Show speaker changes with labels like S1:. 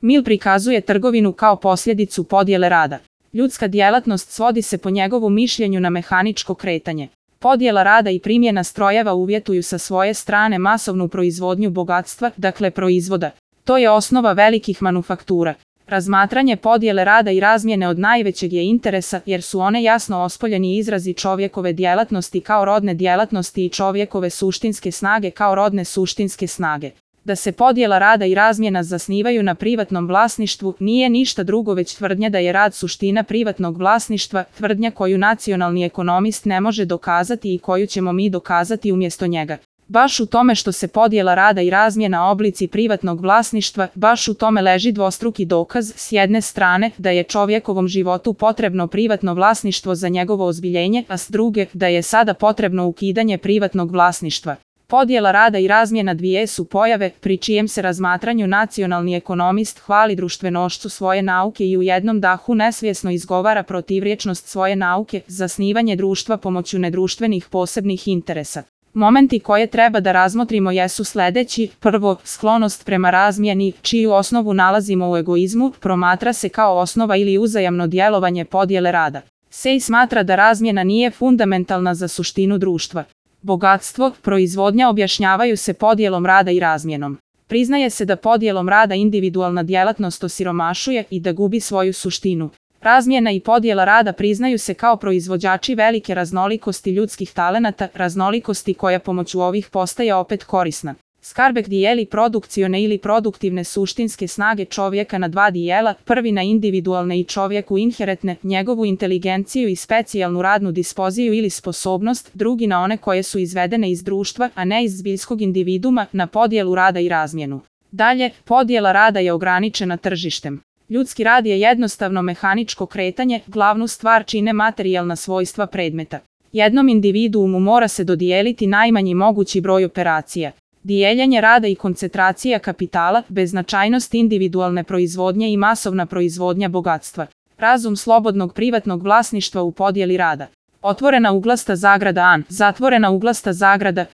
S1: Mill prikazuje trgovinu kao posljedicu podjele rada. Ljudska djelatnost svodi se po njegovu mišljenju na mehaničko kretanje. Podjela rada i primjena strojeva uvjetuju sa svoje strane masovnu proizvodnju bogatstva, dakle proizvoda. To je osnova velikih manufaktura. Razmatranje podjele rada i razmjene od najvećeg je interesa jer su one jasno ospoljeni izrazi čovjekove djelatnosti kao rodne djelatnosti i čovjekove suštinske snage kao rodne suštinske snage. Da se podjela rada i razmjena zasnivaju na privatnom vlasništvu nije ništa drugo već tvrdnja da je rad suština privatnog vlasništva, tvrdnja koju nacionalni ekonomist ne može dokazati i koju ćemo mi dokazati umjesto njega. Baš u tome što se podjela rada i razmjena oblici privatnog vlasništva, baš u tome leži dvostruki dokaz, s jedne strane, da je čovjekovom životu potrebno privatno vlasništvo za njegovo ozbiljenje, a s druge, da je sada potrebno ukidanje privatnog vlasništva. Podjela rada i razmjena dvije su pojave, pri čijem se razmatranju nacionalni ekonomist hvali društvenošću svoje nauke i u jednom dahu nesvjesno izgovara protivrječnost svoje nauke, zasnivanje društva pomoću nedruštvenih posebnih interesa. Momenti koje treba da razmotrimo jesu sljedeći. Prvo, sklonost prema razmjeni, čiju osnovu nalazimo u egoizmu, promatra se kao osnova ili uzajamno djelovanje podjele rada. Sej smatra da razmjena nije fundamentalna za suštinu društva. Bogatstvo, proizvodnja objašnjavaju se podjelom rada i razmjenom. Priznaje se da podjelom rada individualna djelatnost osiromašuje i da gubi svoju suštinu. Razmjena i podjela rada priznaju se kao proizvođači velike raznolikosti ljudskih talenata, raznolikosti koja pomoću ovih postaje opet korisna. Skarbek dijeli produkcione ili produktivne suštinske snage čovjeka na dva dijela, prvi na individualne i čovjeku inherentne, njegovu inteligenciju i specijalnu radnu dispoziju ili sposobnost, drugi na one koje su izvedene iz društva, a ne iz zbiljskog individuma, na podjelu rada i razmjenu. Dalje, podjela rada je ograničena tržištem. Ljudski rad je jednostavno mehaničko kretanje, glavnu stvar čine materijalna svojstva predmeta. Jednom individuumu mora se dodijeliti najmanji mogući broj operacija. Dijeljenje rada i koncentracija kapitala, beznačajnost individualne proizvodnje i masovna proizvodnja bogatstva. Razum slobodnog privatnog vlasništva u podjeli rada. Otvorena uglasta zagrada an, zatvorena uglasta zagrada,